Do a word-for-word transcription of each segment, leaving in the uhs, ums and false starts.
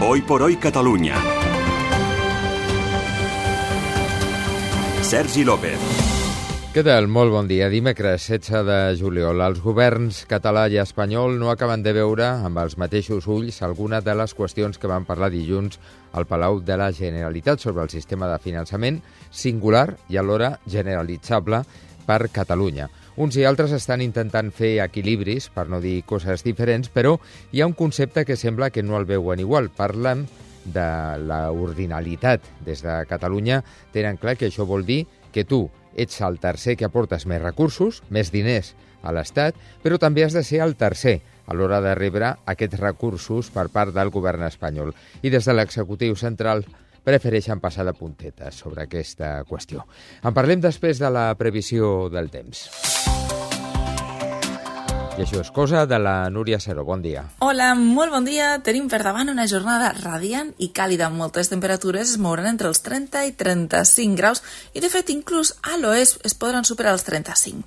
Hoy por hoy Catalunya. Sergi López. Què tal? Molt bon dia. Dimecres setze de juliol. Els governs català i espanyol no acaben de veure amb els mateixos ulls alguna de les qüestions que van parlar dilluns al Palau de la Generalitat sobre el sistema de finançament singular i alhora generalitzable per Catalunya. Uns i altres estan intentant fer equilibris, per no dir coses diferents, però hi ha un concepte que sembla que no el veuen igual. Parlen de la ordinalitat. Des de Catalunya tenen clar que això vol dir que tu ets el tercer que aportes més recursos, més diners a l'Estat, però també has de ser el tercer a l'hora de rebre aquests recursos per part del govern espanyol. I des de l'executiu central prefereixen passar de puntetes sobre aquesta qüestió. En parlem després de la previsió del temps. I això és cosa de la Núria Seró. Bon dia. Hola, molt bon dia. Tenim per davant una jornada radiant i càlida amb moltes temperatures es mouran entre els trenta i trenta-cinc graus i, de fet, inclús a l'oest es podran superar els trenta-cinc.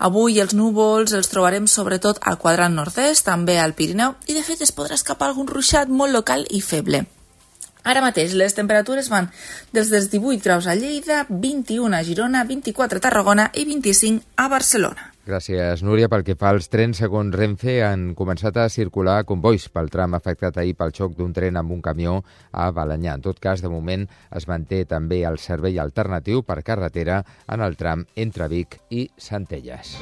Avui els núvols els trobarem sobretot al quadrant nord-est, també al Pirineu, i, de fet, es podrà escapar algun ruixat molt local i feble. Ara mateix les temperatures van des dels divuit graus a Lleida, vint-i-un a Girona, vint-i-quatre a Tarragona i vint-i-cinc a Barcelona. Gràcies, Núria. Pel que fa als trens, segons Renfe, han començat a circular convois pel tram afectat ahir pel xoc d'un tren amb un camió a Balenyà. En tot cas, de moment es manté també el servei alternatiu per carretera en el tram entre Vic i Centelles.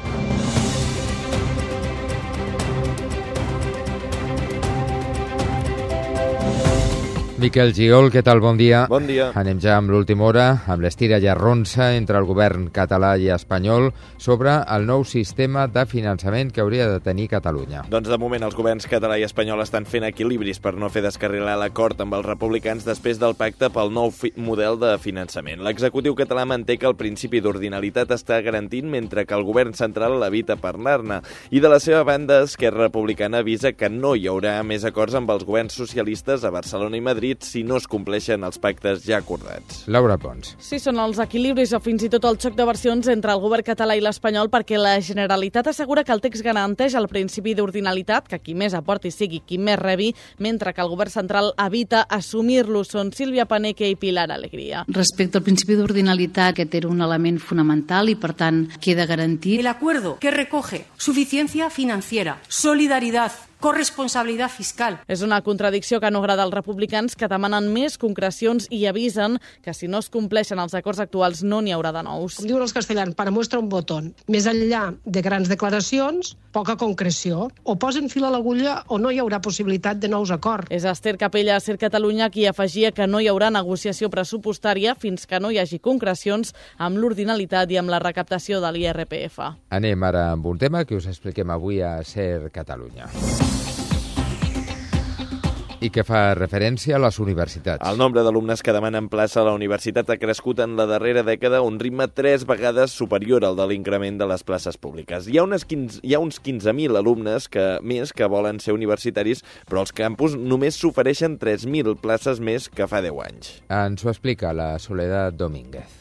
Miquel Giol, què tal? Bon dia. Bon dia. Anem ja amb l'última hora, amb l'estira i arronsa entre el govern català i espanyol sobre el nou sistema de finançament que hauria de tenir Catalunya. Doncs de moment els governs català i espanyol estan fent equilibris per no fer descarrilar l'acord amb els republicans després del pacte pel nou fi- model de finançament. L'executiu català manté que el principi d'ordinalitat està garantint mentre que el govern central l'evita parlar-ne. I de la seva banda, Esquerra Republicana avisa que no hi haurà més acords amb els governs socialistes a Barcelona i Madrid si no es compleixen els pactes ja acordats. Laura Pons. Sí, són els equilibris o fins i tot el xoc de versions entre el govern català i l'espanyol perquè la Generalitat assegura que el text garanteix el principi d'ordinalitat, que qui més aporti sigui qui més rebi, mentre que el govern central evita assumir-lo. Són Sílvia Paneque i Pilar Alegría. Respecte al principi d'ordinalitat, aquest era un element fonamental i, per tant, queda garantit. El acuerdo que recoge suficiencia financiera, solidaridad, corresponsabilitat fiscal. És una contradicció que no agrada als republicans, que demanen més concrecions i avisen que si no es compleixen els acords actuals no n'hi haurà de nous. Com diuen els castellans, para muestra un botón. Més enllà de grans declaracions, poca concreció. O posen fil a l'agulla o no hi haurà possibilitat de nous acords. És Esther Capella, Ser Catalunya, qui afegia que no hi haurà negociació pressupostària fins que no hi hagi concrecions amb l'ordinalitat i amb la recaptació de l'I R P F. Anem ara amb un tema que us expliquem avui a Ser Catalunya i que fa referència a les universitats. El nombre d'alumnes que demanen plaça a la universitat ha crescut en la darrera dècada a un ritme tres vegades superior al de l'increment de les places públiques. Hi ha, unes quinze, hi ha uns quinze mil alumnes que, més que volen ser universitaris, però als campus només s'ofereixen tres mil places més que fa deu anys. Ens ho explica la Soledad Domínguez.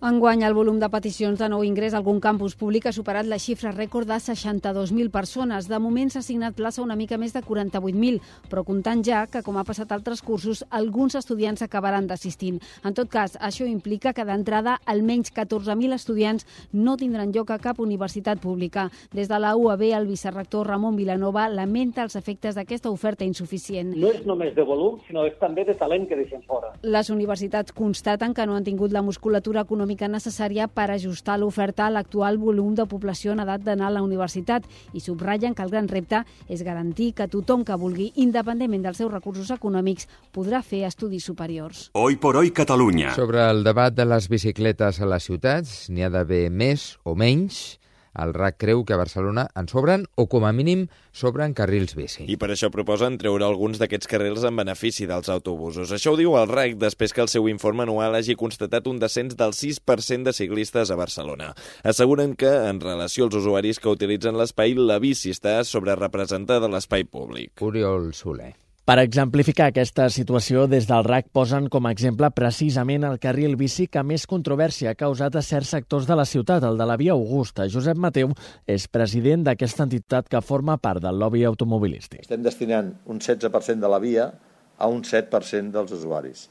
Enguany, el volum de peticions de nou ingrés a algun campus públic ha superat la xifra rècord de seixanta-dos mil persones. De moment s'ha assignat plaça una mica més de quaranta-vuit mil, però comptant ja que, com ha passat altres cursos, alguns estudiants acabaran desistint. En tot cas, això implica que d'entrada almenys catorze mil estudiants no tindran lloc a cap universitat pública. Des de la U A B, el vicerrector Ramon Vilanova lamenta els efectes d'aquesta oferta insuficient. No és només de volum, sinó és també de talent que deixen fora. Les universitats constaten que no han tingut la musculatura econòmica necessària per ajustar l'oferta a l'actual volum de població en edat d'anar a la universitat i subratllen que el gran repte és garantir que tothom que vulgui, independentment dels seus recursos econòmics, podrà fer estudis superiors. Hoy por hoy Catalunya. Sobre el debat de les bicicletes a les ciutats, n'hi ha d'haver més o menys. El R A C creu que a Barcelona en sobren o, com a mínim, sobren carrils bici. I per això proposen treure alguns d'aquests carrils en benefici dels autobusos. Això ho diu el R A C després que el seu informe anual hagi constatat un descens del sis per cent de ciclistes a Barcelona. Asseguren que, en relació als usuaris que utilitzen l'espai, la bici està sobrerepresentada a l'espai públic. Oriol Soler. Per exemplificar aquesta situació, des del R A C posen com a exemple precisament el carril bici que més controvèrsia ha causat a certs sectors de la ciutat, el de la Via Augusta. Josep Mateu és president d'aquesta entitat que forma part del lobby automobilístic. Estem destinant un setze per cent de la via a un set per cent dels usuaris.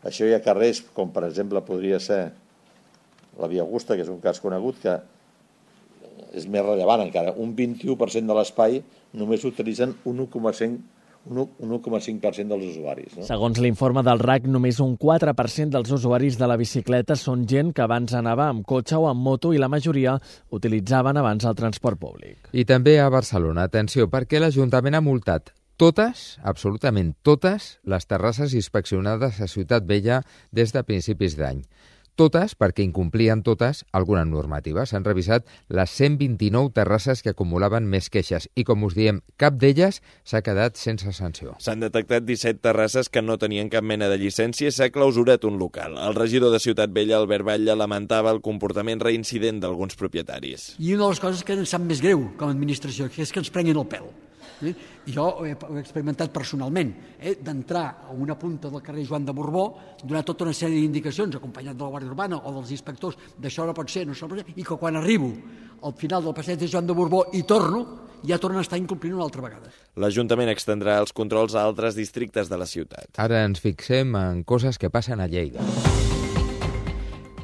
Això hi ha carrers, com per exemple podria ser la Via Augusta, que és un cas conegut, que és més rellevant encara. Un vint-i-u per cent de l'espai només utilitzen un u coma cinc per cent dels usuaris. No? Segons l'informe del R A C, només un quatre per cent dels usuaris de la bicicleta són gent que abans anava amb cotxe o amb moto i la majoria utilitzaven abans el transport públic. I també a Barcelona, atenció, perquè l'Ajuntament ha multat totes, absolutament totes, les terrasses inspeccionades a Ciutat Vella des de principis d'any. Totes, perquè incomplien totes alguna normativa. S'han revisat les cent vint-i-nou terrasses que acumulaven més queixes i, com us diem, cap d'elles s'ha quedat sense sanció. S'han detectat disset terrasses que no tenien cap mena de llicència i s'ha clausurat un local. El regidor de Ciutat Vella, Albert Batlle, lamentava el comportament reincident d'alguns propietaris. I una de les coses que ens sap més greu com a administració, que és que ens prenguin el pèl. Eh? Jo ho he experimentat personalment, eh? d'entrar a una punta del carrer Joan de Borbó, donar tota una sèrie d'indicacions, acompanyat de la Guàrdia Urbana o dels inspectors, d'això no pot ser, no pot ser, i que quan arribo al final del passeig de Joan de Borbó i torno, ja tornen a estar incomplint una altra vegada. L'Ajuntament extendrà els controls a altres districtes de la ciutat. Ara ens fixem en coses que passen a Lleida.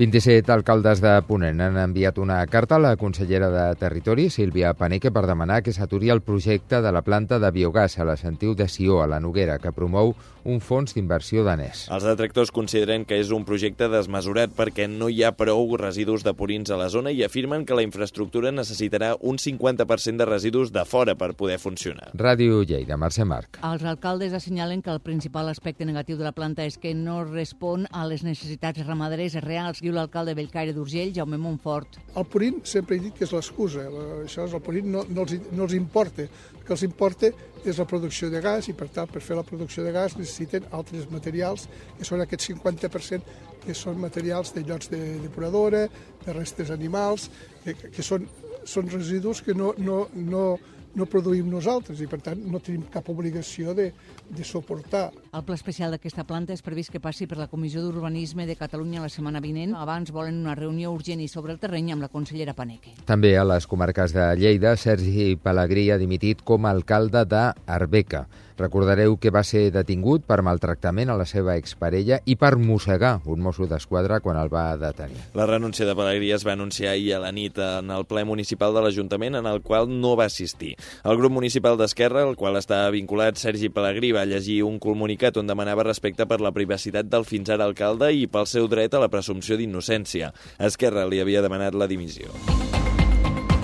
vint-i-set alcaldes de Ponent han enviat una carta a la consellera de Territori, Sílvia Paneque, per demanar que s'aturi el projecte de la planta de biogàs a la Sentiu de Sió, a la Noguera, que promou un fons d'inversió danès. Els detractors consideren que és un projecte desmesurat perquè no hi ha prou residus de purins a la zona i afirmen que la infraestructura necessitarà un cinquanta per cent de residus de fora per poder funcionar. Ràdio Lleida, Mercè Marc. Els alcaldes assenyalen que el principal aspecte negatiu de la planta és que no respon a les necessitats ramaderes reals, diu l'alcalde Bellcaire d'Urgell, Jaume Montfort. El purín sempre he dit que és l'excusa. Això és el purín, no, no, els, no els importa. El que els importa és la producció de gas i, per tant, per fer la producció de gas necessiten altres materials, que són aquest cinquanta per cent que són materials de llots de depuradora, de restes animals, que, que són, són residus que no, no, no, no produïm nosaltres i, per tant, no tenim cap obligació de, de suportar. El pla especial d'aquesta planta és previst que passi per la Comissió d'Urbanisme de Catalunya la setmana vinent. Abans volen una reunió urgent i sobre el terreny amb la consellera Paneque. També a les comarques de Lleida, Sergi Pellegrí ha dimitit com a alcalde d'Arbeca. Recordareu que va ser detingut per maltractament a la seva exparella i per mossegar un mosso d'esquadra quan el va detenir. La renúncia de Pellegrí es va anunciar ahir a la nit en el ple municipal de l'Ajuntament, en el qual no va assistir. El grup municipal d'Esquerra, al qual està vinculat Sergi Pellegrí, va llegir un comunicat on demanava respecte per la privacitat del fins ara alcalde i pel seu dret a la presumpció d'innocència. Esquerra li havia demanat la dimissió.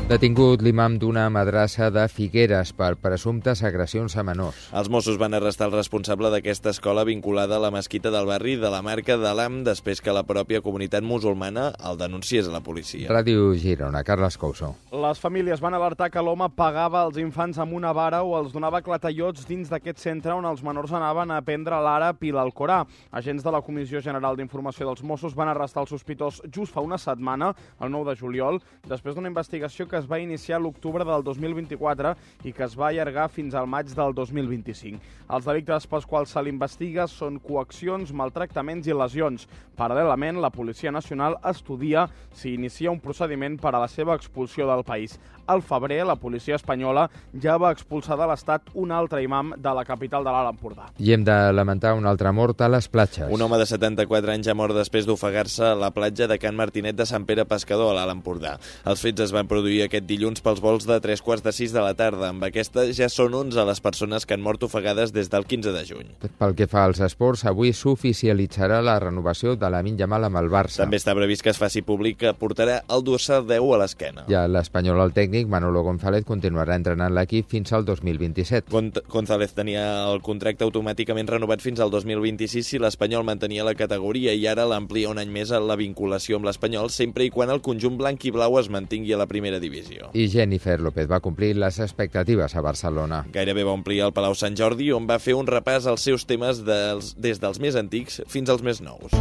Detingut l'imam d'una madrassa de Figueres per presumptes agressions a menors. Els Mossos van arrestar el responsable d'aquesta escola vinculada a la mesquita del barri de la Marca de l'Am després que la pròpia comunitat musulmana el denunciés a la policia. Ràdio Girona, Carles Couso. Les famílies van alertar que l'home pagava els infants amb una vara o els donava clatellots dins d'aquest centre on els menors anaven a aprendre l'àrab i l'Alcorà. Agents de la Comissió General d'Informació dels Mossos van arrestar el sospitós just fa una setmana, el nou de juliol, després d'una investigació que es va iniciar l'octubre del dos mil vint-i-quatre i que es va allargar fins al maig del dos mil vint-i-cinc. Els delictes pels quals se l'investiga són coaccions, maltractaments i lesions. Paral·lelament, la Policia Nacional estudia si inicia un procediment per a la seva expulsió del país. Al febrer, la policia espanyola ja va expulsar de l'Estat un altre imam de la capital de l'Alt Empordà. I hem de lamentar una altra mort a les platges. Un home de setanta-quatre anys ha mort després d'ofegar-se a la platja de Can Martinet de Sant Pere Pescador, a l'Alt Empordà. Els fets es van produir aquest dilluns pels vols de tres quarts de sis de la tarda. Amb aquesta ja són onze les persones que han mort ofegades des del quinze de juny. Pel que fa als esports, avui s'oficialitzarà la renovació de Lamine Yamal amb el Barça. També està previst que es faci públic que portarà el dorsal deu a l'esquena. Ja l'Espanyol, el tècnic Manolo González, continuarà entrenant l'equip fins al dos mil vint-i-set. González tenia el contracte automàticament renovat fins al dos mil vint-i-sis si l'Espanyol mantenia la categoria i ara l'amplia un any més a la vinculació amb l'Espanyol, sempre i quan el conjunt blanc i blau es mantingui a la primera divisió. I Jennifer López va complir les expectatives a Barcelona. Gairebé va omplir el Palau Sant Jordi, on va fer un repàs als seus temes dels, des dels més antics fins als més nous.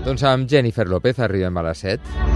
Doncs amb Jennifer López arribem a les set.